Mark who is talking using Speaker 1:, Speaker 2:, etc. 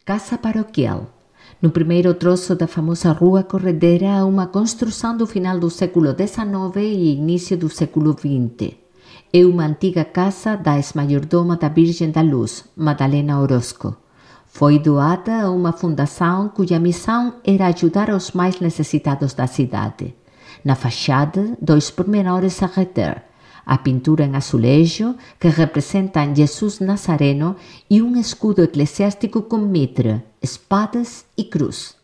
Speaker 1: Casa Paroquial. No primeiro troço da famosa Rua Corredera, uma construção do final do século XIX e início do século XX. É uma antiga casa da ex-maiordoma da Virgem da Luz, Madalena Orozco. Foi doada a uma fundação cuja missão era ajudar os mais necessitados da cidade. Na fachada, 2 pormenores a reter: a pintura em azulejo, que representam Jesus Nazareno, e um escudo eclesiástico com mitre, espadas e cruz.